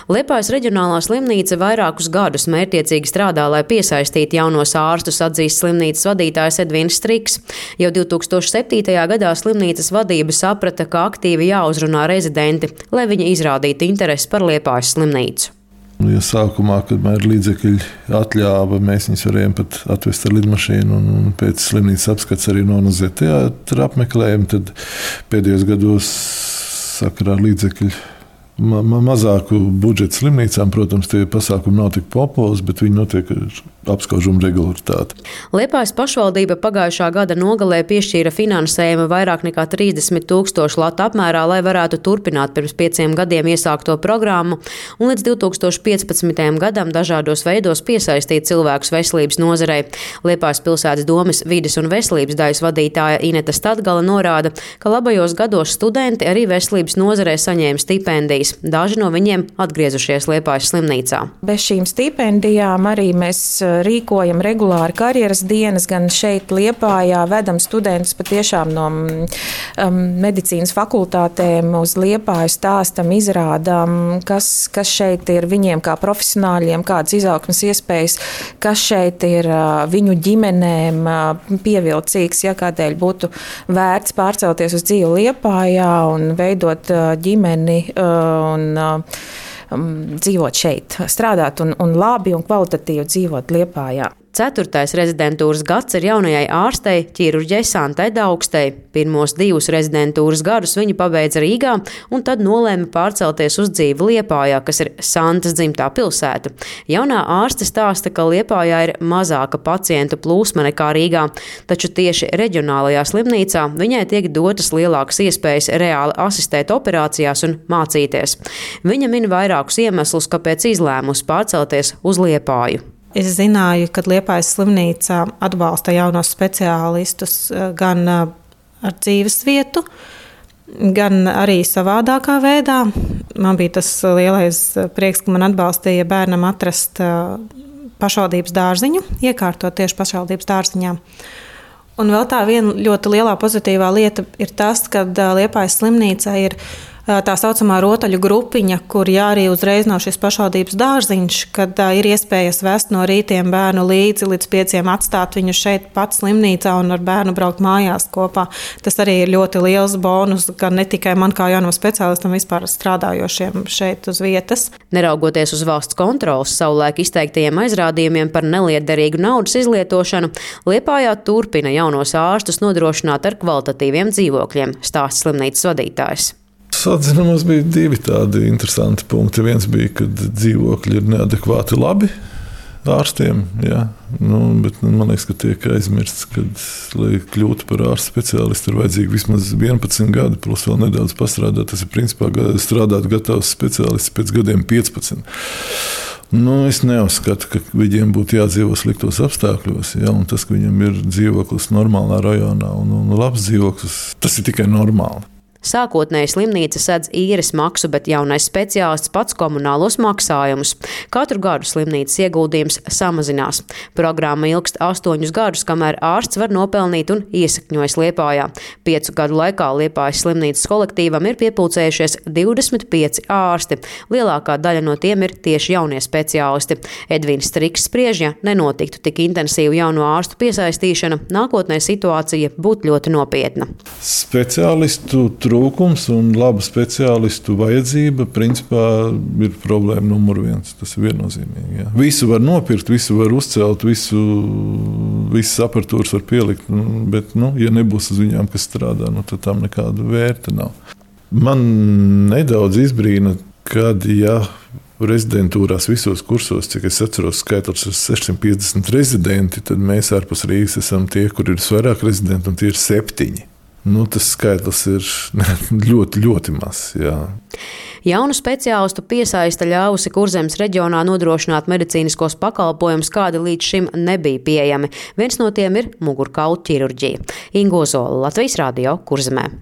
Liepājas reģionālā slimnīca vairākus gadus mērķtiecīgi strādā, lai piesaistītu jaunos ārstus, atzīst slimnīcas vadītājs Edvins Striks. Jau 2007. gadā slimnīcas vadība saprata, ka aktīvi jāuzrunā rezidenti, lai viņi izrādītu interesi par Liepājas slimnīcu. Ja sākumā, kad man ir līdzekļi atļāva, mēs viņus varējām pat atvest ar lidmašīnu un pēc slimnīcas apskats arī nonozēt teātra apmeklējumu, tad pēdējos gados sakarā ar līdzekļu mazāku budžetu slimnīcām, protams, tie pasākumi nav tik populāri, bet viņi notiek ar apskaužumu regularitāti. Liepājas pašvaldība pagājušā gada nogalē piešķīra finansējumu vairāk nekā 30 000 latu apmērā, lai varētu turpināt pirms 5 gadiem iesākto programmu un līdz 2015. gadam dažādos veidos piesaistīt cilvēkus veselības nozarei. Liepājas pilsētas domes vides un veselības daļas vadītāja Ineta Stadgala norāda, ka labajos gados studenti arī veselības nozarei saņēma stipendijas. Daži no viņiem atgriezušies Liepājas slimnīcā. Bez šīm stipendijām arī mēs rīkojam regulāri karjeras dienas, gan šeit Liepājā vedam studentus patiešām no medicīnas fakultātēm uz Liepāju, stāstam, izrādām, kas šeit ir viņiem kā profesionāļiem, kādas izaugsmes iespējas, kas šeit ir viņu ģimenēm pievilcīgs, ja kādēļ būtu vērts pārcelties uz dzīvi Liepājā un veidot ģimeni un dzīvot šeit, strādāt un labi un kvalitatīvi dzīvot Liepājā. 4. rezidentūras gads ir jaunajai ārstei, ķirurģei Santai Daugstei. Pirmos 2 rezidentūras gadus viņa pabeidza Rīgā un tad nolēma pārcelties uz dzīvi Liepājā, kas ir Santas dzimtā pilsēta. Jaunā ārste stāsta, ka Liepājā ir mazāka pacientu plūsma nekā Rīgā, taču tieši reģionālajā slimnīcā viņai tiek dotas lielākas iespējas reāli asistēt operācijās un mācīties. Viņa min vairākus iemeslus, kāpēc izlēmusi pārcelties uz Liepāju. Es zināju, ka Liepājas slimnīca atbalsta jaunos speciālistus gan ar dzīves vietu, gan arī savādākā veidā. Man bija tas lielais prieks, ka man atbalstīja bērnam atrast pašvaldības dārziņu, iekārtot tieši pašvaldības dārziņā. Un vēl tā viena ļoti lielā pozitīvā lieta ir tas, ka Liepājas slimnīca ir tā saucamā rotaļu grupiņa, kur arī uzreiz nav šis pašvaldības dārziņš, kad ir iespējas vest no rītiem bērnu līdzi līdz 5 atstāt viņu šeit pats slimnīcā un ar bērnu braukt mājās kopā. Tas arī ir ļoti liels bonus, gan ne tikai man kā jaunam speciālistam, vispār strādājošiem šeit uz vietas. Neraugoties uz valsts kontrolas savulaik izteiktajiem aizrādījumiem par nelietderīgu naudas izlietošanu, Liepājā turpina jaunos ārstus nodrošināt ar kvalitatīviem dzīvokļiem, stāsta slimnīcas vadītājs. Atzinumos bija 2 tādi interesanti punkti. Viens bija, ka dzīvokļi ir neadekvāti labi ārstiem, jā. Bet man liekas, ka tiek aizmirsts, ka, lai kļūtu par ārstu speciālistu, ir vajadzīgi vismaz 11 gadi, plus vēl nedaudz pastrādāt. Tas ir principā strādāt gatavs speciālists pēc gadiem 15. Es neuzskatu, ka viņiem būtu jādzīvo sliktos apstākļos, ja, un tas, ka viņam ir dzīvoklis normālā rajonā un labs dzīvoklis, tas ir tikai normāli. Sākotnēji slimnīca sedz īres maksu, bet jaunais speciālists pats komunālos maksājumus. Katru gadu slimnīcas ieguldījums samazinās. Programma ilgst 8 gadus, kamēr ārsts var nopelnīt un iesakņojas Liepājā. 5 gadu laikā Liepājas slimnīcas kolektīvam ir piepulcējušies 25 ārsti. Lielākā daļa no tiem ir tieši jaunie speciālisti. Edvins Striks spriež, ja nenotiktu tik intensīva jauno ārstu piesaistīšana, nākotnē situācija būtu ļoti nopietna. Speciālistu trūkums un laba speciālistu vajadzība principā ir problēma numur 1. Tas ir viennozīmīgi. Jā. Visu var nopirkt, visu var uzcelt, visas aparatūras var pielikt, bet, ja nebūs uz viņām, kas strādā, tad tam nekāda vērta nav. Man nedaudz izbrīna, kad, rezidentūrās visos kursos, cik es atceros, skaitlis ir 650 rezidenti, tad mēs ārpus Rīgas esam tie, kur ir visvairāk rezidenti, un tie ir 7. Tas skaitlis ir ļoti, ļoti mazs. Jā. Jaunu speciālistu piesaiste ļāvusi Kurzemes reģionā nodrošināt medicīniskos pakalpojumus, kādi līdz šim nebija pieejami. Viens no tiem ir mugurkaulu ķirurģija. Ingo Zola, Latvijas Radio, Kurzemē.